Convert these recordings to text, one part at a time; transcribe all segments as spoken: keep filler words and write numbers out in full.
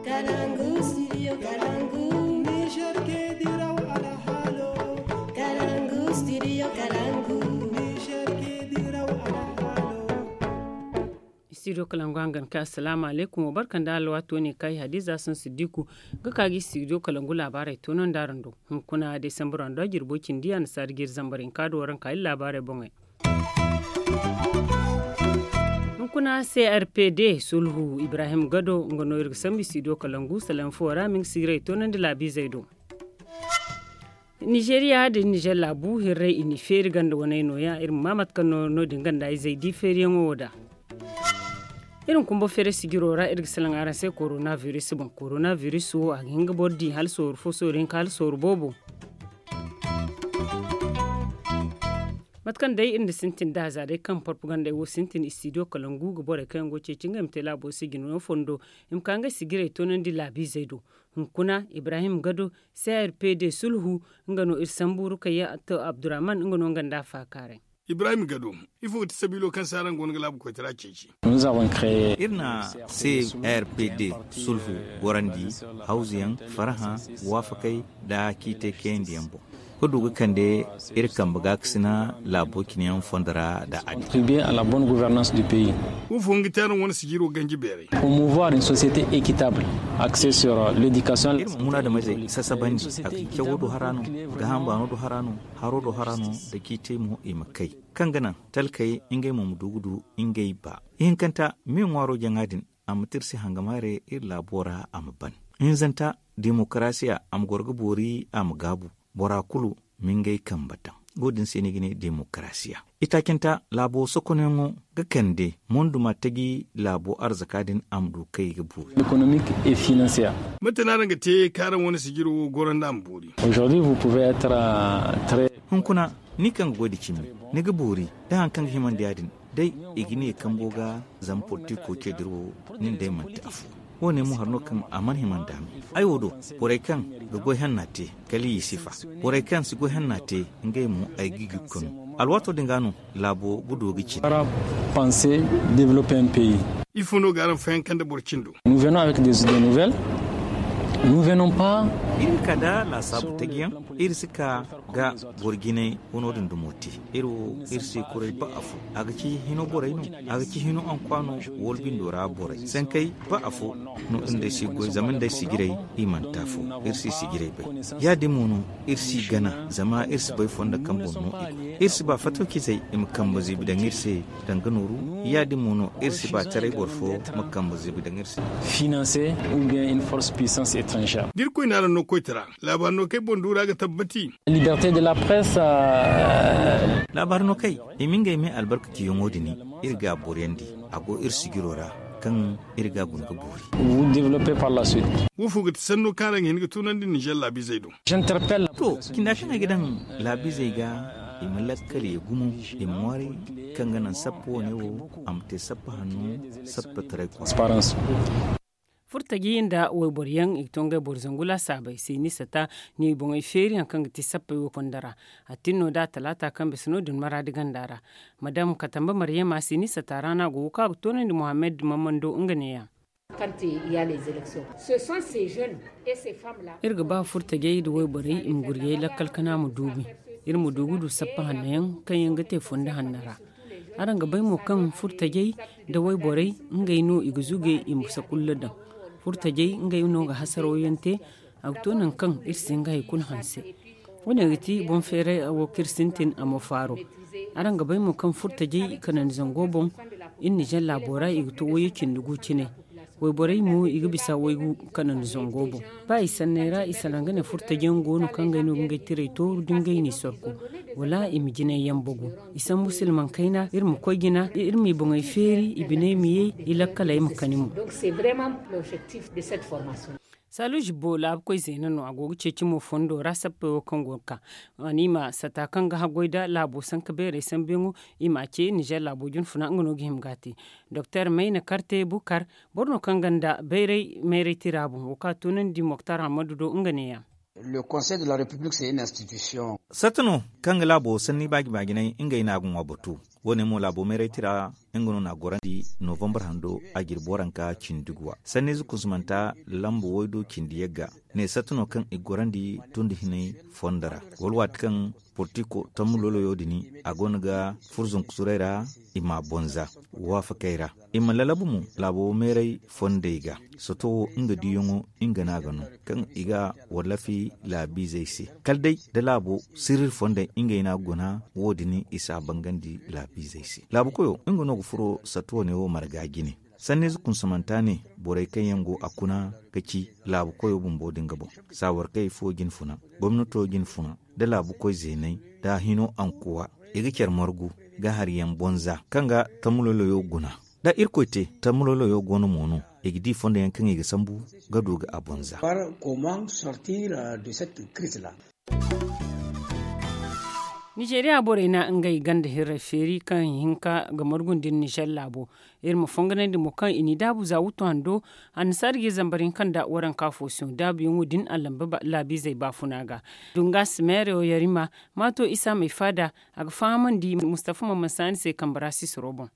Kalangu, studio Kalangu. Niger ke diraw alhalo. Kalangu, studio Kalangu. Niger ke diraw alhalo. Studio Kalangu hangan ka assalamu alaikum, wa barkan da alwato ne kai Hadiza Sun Siddiku ga ka gi studio Kalangu labarai tonon daran do. Hunkuna December ando jirbo cindi a na sari gir zambarin ka do waran ka labarai bongai. Hunkuna C R P D sulhu Ibrahim Gado nga no iri ga sambu studio Kalangu salaŋ fo ra min ga sigiray toonandi laabizey do. Nizeeriya da Nizer laabu hirray i n'i feeri ganda waney nooya iri ma maa mate kaŋ no no-din ganda izey di feeriyaŋo wo da. Iri ma kumba feeray sijiro ra iri ga salaŋ araŋ se korona viris boŋ. Korona viris wo a ga hin ga boro di hala sooru fo sooru hinka hala sooru boobo. Mate kaŋ day iri na sintin da za day kaŋ propagandey wo sintin istidiyo kalangu ga borey kaŋ yaŋ go ga ceeci ngey ma te laabo sijino fondo i ma ka ngey sijirey toonandi laabiizey do. Hunkuna ibrahim gado, crpd sulhu, nga no iri sambu rukayya to abdurrahman nga no nga nda a faakaaray. Ibrahim gado, ifo ga ti sabiilo kaŋ se araŋ go no ga laabu koytara ceeci? Iri na crpd sulhu gorandi, hawzuyaŋ, farhã, waafakey, nda ciitey kayandiyaŋ boŋ ga du ga kande iri kambe gaakasina laabo cine yaŋ fondo ra nda a di. Contribuer à la bonne gouvernance du pays. Wo fo nga te araŋ wane sijiro ganji beeray? Promouvoir une société équitable, axée sur l'éducation. Iri ma munaadamizey sasabandi a ga cawo do hara no, gaaham baano do hara no, haro do hara no, nda ciitey mo i ma kay kaŋ ga naŋ talkey ngey mo ma du ga du ngey ba. Ihinkanta me ŋwaaro jaŋa din a ma te iri se hangamaare iri laabo ra a ma ban. Hinzanta, demokarasiya a ma goro ga boori a ma gaabu, bora kulu ma ngey kambe daŋ. Wo- din se no i ga ne demokarasiya. Itaacanta laabo sokonyaŋo ga kande monduma taji laabo arzaka din a ma du kay ga boori. Économique et financière. Mate no araŋ ga te kaŋ araŋ wane sijiro wo goro nda a ma boori? Aujourd'hui vous pouvez être très. Hunkuna ni kaŋ ga goy nda cimi, ni ga boori nda hari kaŋ ga himandi ya- din. Day i ga ne kambo ga zama politiko ce dira wo, nin day manti afo. Wo- ne mo hari no kaŋ a mana hima nda a me. Ay wo do, borey kaŋ ga goy hanna te, kala i sifa. Borey kaŋ si goy hanna te, ngey mo ay ga i ga kanu. Alwaato din ga no laabo ga du ga cine. Panse, développer un pays. Ifo no ga araŋ fayanka nda boro cindo? Nous venons avec des idées nouvelles. Nous venons pas. Iri ga ka nda laasaabu tajiyaŋ. Iri si ka ga boro jinay wano din dumo te. Iri wo iri si kuray ba afo. A ga ci hino borey no, a ga ci hino ankwa no, wala bindo ra borey sankey ba afo. No iri nd'ey si goy zama nd'ey sijiray, i mana te afo. Iri si sijiray bay. Ya- din mo no iri si gana zama iri si bay fondo kaŋ boŋ no i go. Iri si ba fatawcizey i ma kambe ziibi daŋ iri se, danga nooru. Ya- din mo no iri si ba taray boro fo ma kambe ziibi daŋ iri se. Financer ou bien une force puissance étrangère. Da irkoy na araŋ no koytara, laabaari no kay boŋ duura ga tabbati. Liberté de la presse. Laabaari no kay i ma ngey me albarkaciyaŋo din, iri ga a booriyandi. A go iri sijiro ra kaŋ iri ga a guna ga boori. Vous développer par la suite. Wo fo ga ti sanno kaŋ araŋ ga hin ga tunandi nizer laabiizey do? To, cinda kaŋ ay ga daŋ laabiizey ga, i ma lakkal ye gumo, i ma ŋwaaray kaŋ ga naŋ sappa wane wo a ma te sappa hanno, sappa taray kwaara. Furtaji nda wayboro yaŋ i ga to ngey boro zangu laasaabey se ni sata, ni boŋey feeri hari kaŋ ga ti sappey wo konda ra. A tin no da talaata kaŋ bisa no- din maraadi ganda ra. Madam katamba maryama se ni sata ra no a go wo kaŋ a ga toonandi mohammed mamando nga neeya. Iri ga ba furtajey nda wayborey i ma gurjey lakkal kana ma duumi. Iri ma du ga du sappa hanno yaŋ kaŋ yaŋ ga te fondo hanno ra. Araŋ ga bay mo kaŋ furtajey nda wayborey, ngey no i ga zuge i ma sakulla daŋ. Furtajey ngey no ga hasaraw yaŋ te. A ga to nangu kaŋ iri si hin ga hari kulu hanse. Wo- ne ga ti boŋ feeray wo kaŋ iri sintin a ma faaro. Araŋ ga bay mo kaŋ furtajey kanandi zango boŋ, iri nizer laabo ra i ga to wayye cindi gu cine. Wayborey mo i ga bisa waygu kanandi zango boŋ. Ba i sanney ra i salaŋ ga ne furtaji yaŋ go no kaŋ ngey no ga ngey tirey tooru da ngey n'i sorku, wala i ma jinay yaŋ bagu. I sambu silmaŋ kayna iri ma koy jina iri m'i boŋey feeri i biney ma ye, i lakkaley ma kani mo. Saalu zibbo laabu koy zeena no a go ga ceeci mo fondo ra sappey wo kaŋ go ga ka. A ne i ma sata kaŋ ga haggoy nda laabo sanka beerey sambuyaŋo, i m'a ce nizer laabo junfuna nga no ga hima ga a te. Doktor mayna karte bukar, boro no kaŋ gonda bayray mayray tira boŋ wo kaŋ a toonandi moktar hammadu do nga neeya. Satta no kaŋ ga laabo sanni baaji-baajinay ngey no a ga ŋwa batu. Wo- ne mo laabo meeray tira nga no na a gorandi novambar hando a jirbi waranka cindi guwa sanniize kunsumanta lamba waydo cindi yagga ne satta no kaŋ i ga gorandi tun da hinay fondo ra wala waati kaŋ portiko tammu loloyo din a go no ga furzunku suray ra i ma a bonza waafakey ra i ma lalabu mo laabo meeray fondey ga. Sato wo nga diiyaŋo nga no a ga no kaŋ i ga wallafi laabiizey se kala day da laabo sirri fondey ngey no a ga guna. Wo- din i si a bangandi laabiizey se laabu koyo nga no ga furo sato wane wo marga jine. Sanniize kunsumanta ne borey kaŋ yaŋ go a kuna ga ci laabu koyo bumbo din ga boŋ saawarkey fo jine funa gomnato jine funa da laabu koy zeeney da hino ankuwa i ga care margu ga hari yaŋ bonza kaŋ ga tammu loloyo guna. Da irkoy te tammu loloyo go no mo no i ga di fondo yaŋ kaŋ i ga sambu ga du ga a bonza. Nizeeriya borey na ngey ganda hirrey feeri kaŋ hinka ga margu nda iri nizer laabo. Iri ma fonganandi mo kaŋ i n'i daabu za wuttu hando annasaara ga iri zambar hinka nda waranka fo siŋo daabuyaŋo din a lamba laabiizey baafuna ga. Dunga simeero yarima maato isa may faada a ga fahamandi mustafa maman saani se kambe ra sisiro boŋ.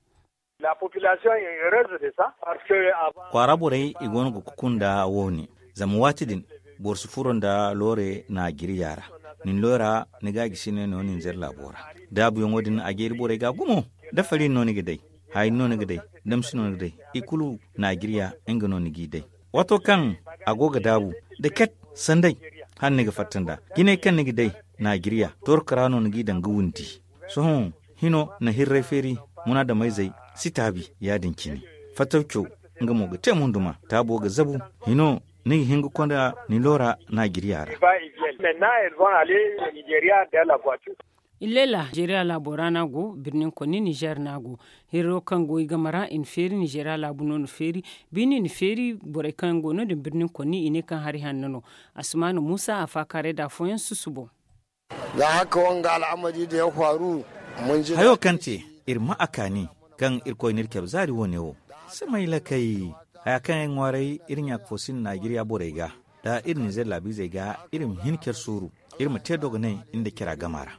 Kwaara borey i go no ga kuku nda wo- ne zama waati din boro si furo nda loore naajiriya ra. Nin loora ni ga a gisi ne no ninzer laabo ra. Daabuyaŋo din a jeeri borey ga gumo. Da fari no ni ga day, haayri no ni ga day, damsi no ni ga day, i kulu naajiriya nga no ni g'i day. Waato kaŋ a go ga daabu da ket sanday hala ni ga fatta nda jinay kaŋ ni ga day naajiriya torka ra no ni g'i daŋ ga windi. Sohõ hino na hirray feeri munaadameyzey si taabi. Ya- din cine fattaw caw nga mo ga te munduma taabo ga zabu. Hino ni ga hin ga konda ni loora naajiriya ra. Illela nizeeriya laabo ra no a go birnin konni nizeer no a go. Hirro kaŋ go i game ra i na feeri nizeeriya laabu no na feeri. Bine i na feeri borey kaŋ go no- din birnin konni i ne kaŋ hari hanno no. Asumana muusa a faakaaray da afooyaŋ susubo. Za haka wanga al'amari da ya faru. Hayo kaŋ te iri ma a kaani kaŋ irkoy n'iri cabe zaari wo- ne wo. Samay lakay haya kaŋ ay ŋwaaray iri ɲaaka fo sinda naajiriya borey ga da iri nizeer laabiizey ga iri ma hin care suuru. Iri ma te dogonay nda cara gama ra.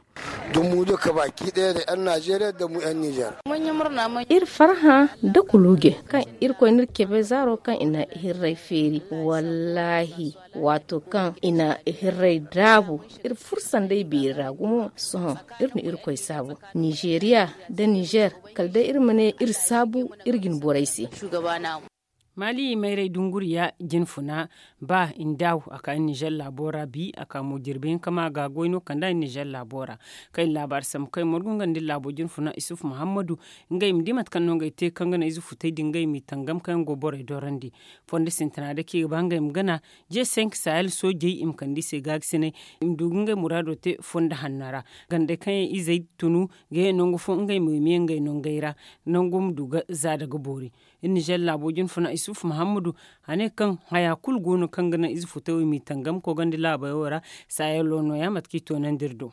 Dumu duka baki daya da yan nazeeriya da mu yan nizeer. Iri farhã da kuluge kaŋ irkoy n'iri cabe zaaro kaŋ i na hirray feeri. Wallaahi waato kaŋ i na hirray daabu iri furo sanday beeri ra gumo. Sohõ iri na irkoy saabu nizeeriya da nizeer kala day iri ma ne iri saabu iri jine borey se. Maali mayray dunguriya jine funa ba i na daawu a ka iri nizeer laabo ra bi a ka mo jirbi hinka ma ga goy no kand'a iri nizeer laabo ra. Kaŋ iri laabaari sambu kaŋ iri margu nga nda iri laabo jine funa isufu muhammadu. Ngey ma di mate kaŋ no ngey te kaŋ ga naŋ ize futey din ngey m'i tangam kaŋ yaŋ go borey dorandi. Fondo sintina day kaŋ i ga ba ngey ma gana je senk sahel soojey i ma kande i se gaagasinay. I ma du ga ngey muraado te fondo hanno ra. Gandey kaŋ yaŋ izey tunu ga ye nangu fo ngey ma ye ma ye ngey nongey ra. Nango ma du ga za daga boori. Iri nizeer laabo jine funa isufu muhammadu a ne kaŋ haya kulu go no kaŋ ga naŋ ize futey wo i m'i tangam koogandi laabey wo ra. Saayalo nooya mate kaŋ i toonandi iri do.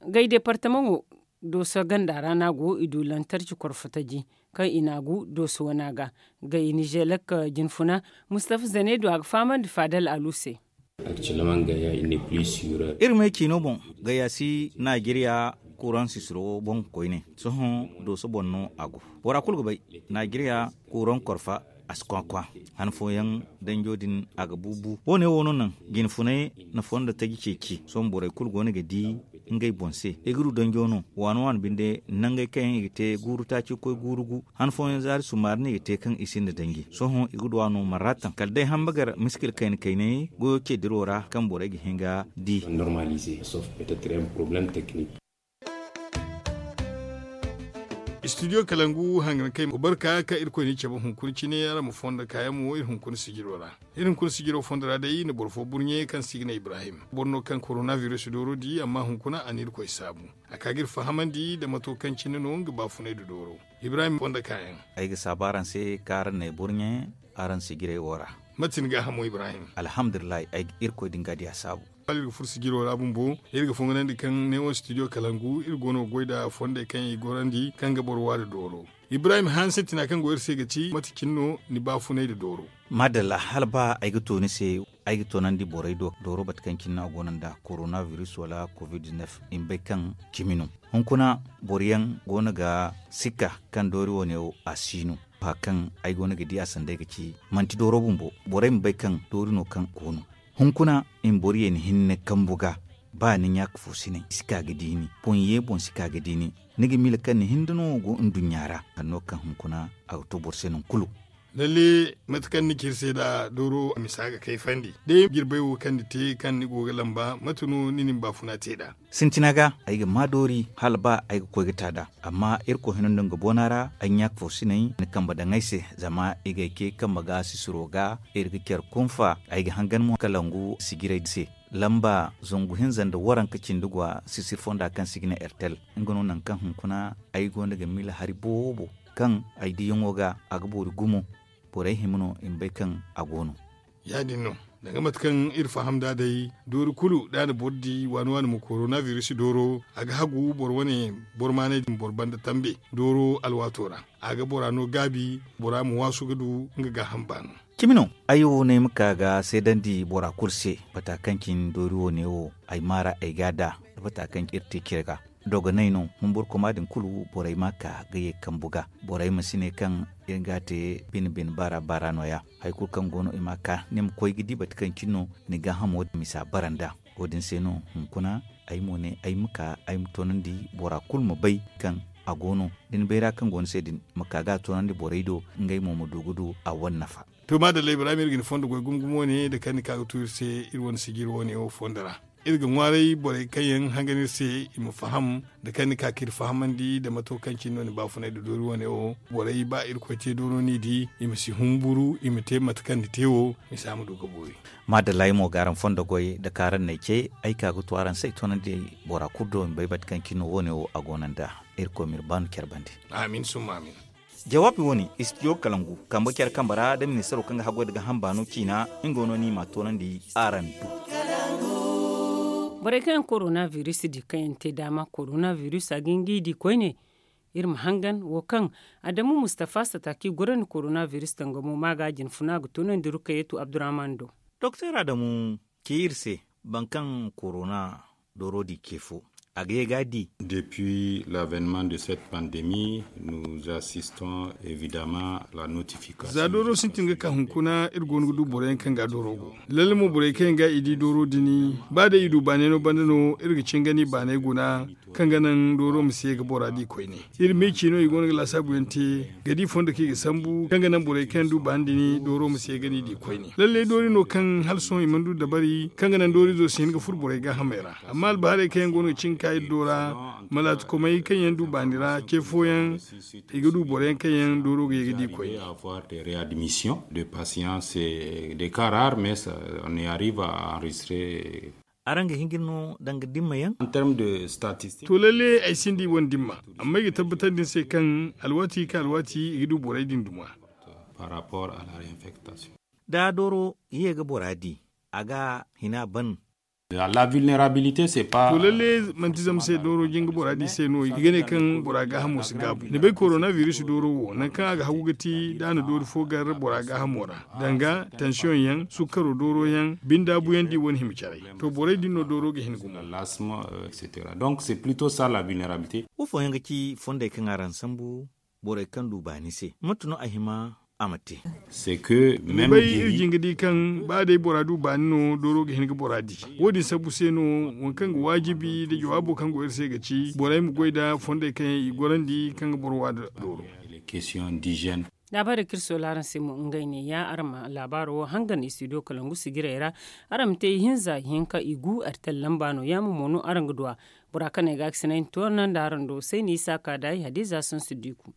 Gay deepartamaŋo dooso ganda ra no a go i du lantarci korfo taji kaŋ i n'a gu dooso wana ga. Gay nizeelek jine funa mustafa zane do a ga fahamandi faadal alu se. Iri me ciino boŋ gayya si naajeriya kuuraŋ sisiro boŋ koyne. Sohõ dooso boŋ no a go. Bora kulu ga bay naajeriya kuuraŋ korfa a si kwakwa. Han fooyaŋ danjo din a ga buubu wo- ne wo no naŋ jine funay na fondo taji ceeci sohõ borey kulu go no ga di ngey boŋ se i ga du danjo no. Waani waani binde nangey kaŋ yaŋ i ga te guuru taaci koy guuru gu han fooyaŋ zaari sumaari no i ga te kaŋ i sinda danji sohõ i ga du a no marratan kala day hamba gar miskil kayna kaynay goyo ce diro ra kaŋ borey ga hin ga di. Studio kalangu hangan kay barka ka irkoy ni cabe hunkuna cine araŋ ma fondo kaayaŋ mo iri hunkuna sijiro ra. Iri hunkuna sijiro fondo ra day na boro fo burɲe kaŋ se i ga ne ibrahim boro no kaŋ korona virus dooro di amma hunkuna a na irkoy saabu. A ka ga iri fahamandi nda mato kaŋ cine no nga baafunay nda dooro. Ibrahim fondo kaayaŋ. Ay ga saabu araŋ se kaŋ araŋ n'ay burɲe araŋ sijirey wo ra. Mate ni gaahamo ibrahim? Alhamdulillahi ay ga irkoy din ga diya saabu. Hala iri ga furo sijiro ra bumbo iri ga fonganandi kaŋ neewo studio kalangu iri go no ga goy nda fondey kaŋ i gorandi kaŋ ga boro waani dooro. Ibrahim hanse tina kaŋ go iri se ga ci mate cine no ni baafunay nda dooro? Maadalla hala ba ay ga to ni se. Ay ga toonandi borey do dooro bate kaŋ cine no a goono nda korona virus wala covid-19. I ma bay kaŋ cimi no. Hunkuna boro yaŋ goono ga sikka kaŋ doori wane wo a si no. Fa kaŋ ay goono ga di a sanday ga ci manti dooro bumbo. Borey ma bay kaŋ doori no kaŋ goono. Hunkuna i ma boro ye ni hinne kambu ga. Ba ni ɲaaka fo sinay si ka ga di ni boŋ ye boŋ si ka ga di ni. Ni ga miila kaŋ ni hinda no go nduɲɲa ra. Hanno kaŋ hunkuna a ga to boro se nangu kulu. Lalle mate kaŋ ni ci iri se nda dooro misa ga kayfandi day jirbay wo kaŋ ni te kaŋ ni go ga lamba mate no ni na ni baafuna te nd'a? Sintina ga ay ga maa doori hala ba ay ga koy ga ta nd'a. Amma irkoy hino nda nga boona ra ay ɲaaka fo sinay ni kamba daŋ ay se. Zama i ga ay ce kamba ga sisiro ga iri ga care kunfa ay ga hangan mo kalangu sijiray se. Lamba zangu hinza nda waranka cindi gwa sisir fonda kaŋ se i ga ne ertel. Nga no nangu kaŋ hunkuna ay gonda ga miila hari boobo kaŋ ay diyaŋo ga a ga boori gumo. Borey hima no i ma bay kaŋ a go no. Ya- din no danga mate kaŋ iri faham nd'a day doori kulu da a na boro di waani waani ma korona virus dooro a ga hagu boro wane boro maanay din boro banda tambe dooro alwaato ra. A ga bora no gaabi bora ma waasu ga du nga gaaham baano. Cimi no ay wo no ay ma ka ga seedandi bora kulu se bata kaŋ cine doori wo ne wo ay maara ay ga a da da bata kaŋ iri te cire ga. Dogonay no humburkoma din kulu borey ma ka ga ye kambu ga. Borey ma si ne kaŋ iri ga a te bine bine baara baara no- ya. Hari kulu kaŋ go no i ma ka ni ma koy ga di bata kaŋ cine no ni gaahamo misa bara nd'a. Wo- din se no hunkuna ay mo ne ay ma ka ay ma toonandi bora kulu ma bay kaŋ a go no da ni bayra kaŋ go ni se din ma ka ga a toonandi borey do ngey mo ma du ga du a wane nafa. To maadalla ibrahim iri ga ni fondo goy gumo gumo ne da kaŋ ni ka ga tu iri se iri wane sijiri wo- ne wo fondo ra. Iri ga ŋwaaray borey kaŋ yaŋ hangan iri se i ma faham da kaŋ ni ka ka iri fahamandi da mato kaŋ cine no ni baafunay da doori wo- ne wo. Borey ba irkoy te dooro no i di i ma si humburu i ma te mate kaŋ ni te wo. Misa ma du ga boori. Maadalla ay mo ga araŋ fondo goy da kaŋ araŋ n'ay ce ay ka ga tu araŋ se ay toonandi bora kulu do i ma bay mate kaŋ cine no wo- ne wo a go no nd'a. Irkoy ma iri baanu care bande. Amin summa amin. Jawaabi wo- ne istidiyo kalangu kambe care kambe ra da ministaro kaŋ ga haggoy da gaaham baano ciina. Nga wo no ni ma a toonandi araŋ do. Borey kaŋ yaŋ korona virus di kaŋ yaŋ te daama korona virus a ga hin ga i di koyne. Iri ma hangan wo kaŋ adamu mustafa sataaki gorandi korona virus danga mo ma ga a jinfuna ga toonandi rukayetu abdurrahman do. Doktor adamu ci iri se boro kaŋ korona dooro di ce fo a ga ye ga a di. Depuis l'avènement de cette pandémie nous assistons évidemment à la notification. Za dooro sintin ga ka hunkuna iri go no ga du boro yaŋ kaŋ ga dooro go. Lalle mo borey kaŋ yaŋ ga i di dooro din ba day i du baanay no banda no iri ga cingani baanay guna kaŋ ga naŋ dooro ma si ye ga bora di koyne. Iri me ci no i go no ga laasaabu yaŋ te ga di fondo kaŋ i ga sambu kaŋ ga naŋ borey kaŋ yaŋ du baani din dooro ma si ye ga ni di koyne. Lalle doori no kaŋ hala sohõ i mana du dabari kaŋ ga naŋ doorizo si hin ga furo borey gaahamey ra. Amma albaharey kaŋ yaŋ go no ga cin ga ka iri do ra malaatikomey kaŋ yaŋ du baani ra ce fooyaŋ i ga du boro yaŋ kaŋ yaŋ dooro ga ye ga di koy. Avoir des réadmissions de patients c'est des cas rares mais on y arrive à enregistrer. Araŋ ga hin ga no danga dimma yaŋ. En terme de statistique to lalle ay sinda i wane dimma. Amma ay ga tabbatandi ni se kaŋ alwaati ka alwaati i ga du borey din duma. Par rapport à la réinfectation. Da dooro ye ga bora di a ga hina ban. La vulnerabilité c'est pas to lalle manti zama se dooro jinga bora di se no i ga ne kaŋ bora gaahamo si gaabu ni bay korona virus dooro wo naŋ kaŋ a ga hagu ga ti da a na doori fo gar bora gaahamo ra danga tension yaŋ sukkaro dooro yaŋ bindaabu yaŋ di wane hima caray. To borey din no dooro ga hin gumo. L'asthme, euh, et cetera donc c'est plutôt ça la vulnerabilité. Wo fooyaŋ ga ci fondey kaŋ araŋ sambu borey kaŋ du baani se mate no a hima a ma te. Ni bay iri jin ga di kaŋ ba day bora du baani no dooro ga hin ga bora di. Wo- din sabbu se no waŋ kaŋ ga waajibi nda jawaabo kaŋ go iri se ga ci borey ma goy nda fondey kaŋ yaŋ i gorandi kaŋ ga boro wa nda dooro. Laabaarey kaŋ iri soola araŋ se mo ngey ne ya araŋ ma laabaaro wo hangan istidiyo kalangu sijirey ra. Araŋ ma te ihinza ihinka igu artel lamba no yaamo mo no araŋ ga du a. Bora kaŋ ay ga a ga sinay ni toorna nda araŋ do sayni isa ka da ay hadiza sansu diku.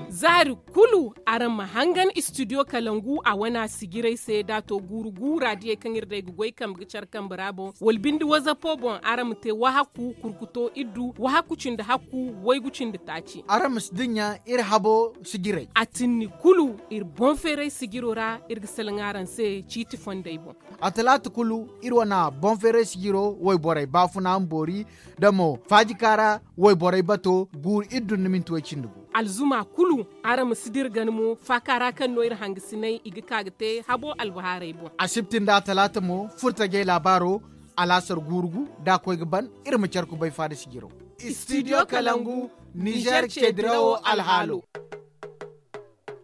Zaari kulu araŋ ma hangan istidiyo kalangu a wana sijirey se da a to guuru guura diyey kaŋ iri day ga goy kambe ga care kambe ra boŋ wala binde wazapo boŋ araŋ ma te wahakku kurkuto iddu wahakku cindi hakku waygu cindi taaci. Araŋ ma si dinya iri habo sijirey. A tinni kulu iri boŋ feeray sijiro ra iri ga salaŋ araŋ se ciiti fondey boŋ. A talaata kulu iri wana boŋ feeray sijiro wayborey baafuna ma boori da mo faajika ra wayborey bato guuru iri dun ni minti way cindi gu. Alzuma kulu, araŋ ma si dira gana mo faaka ra kaŋ no iri hangasinay i ga ka ga te habo albahaarey boŋ. Asibti nda talaata mo furtajey laabaaro, alaasar guurugu da a koy ga ban. Iri ma care kubay faada sijiro. Studio kalangu, nizer ce dirawo alhaalo.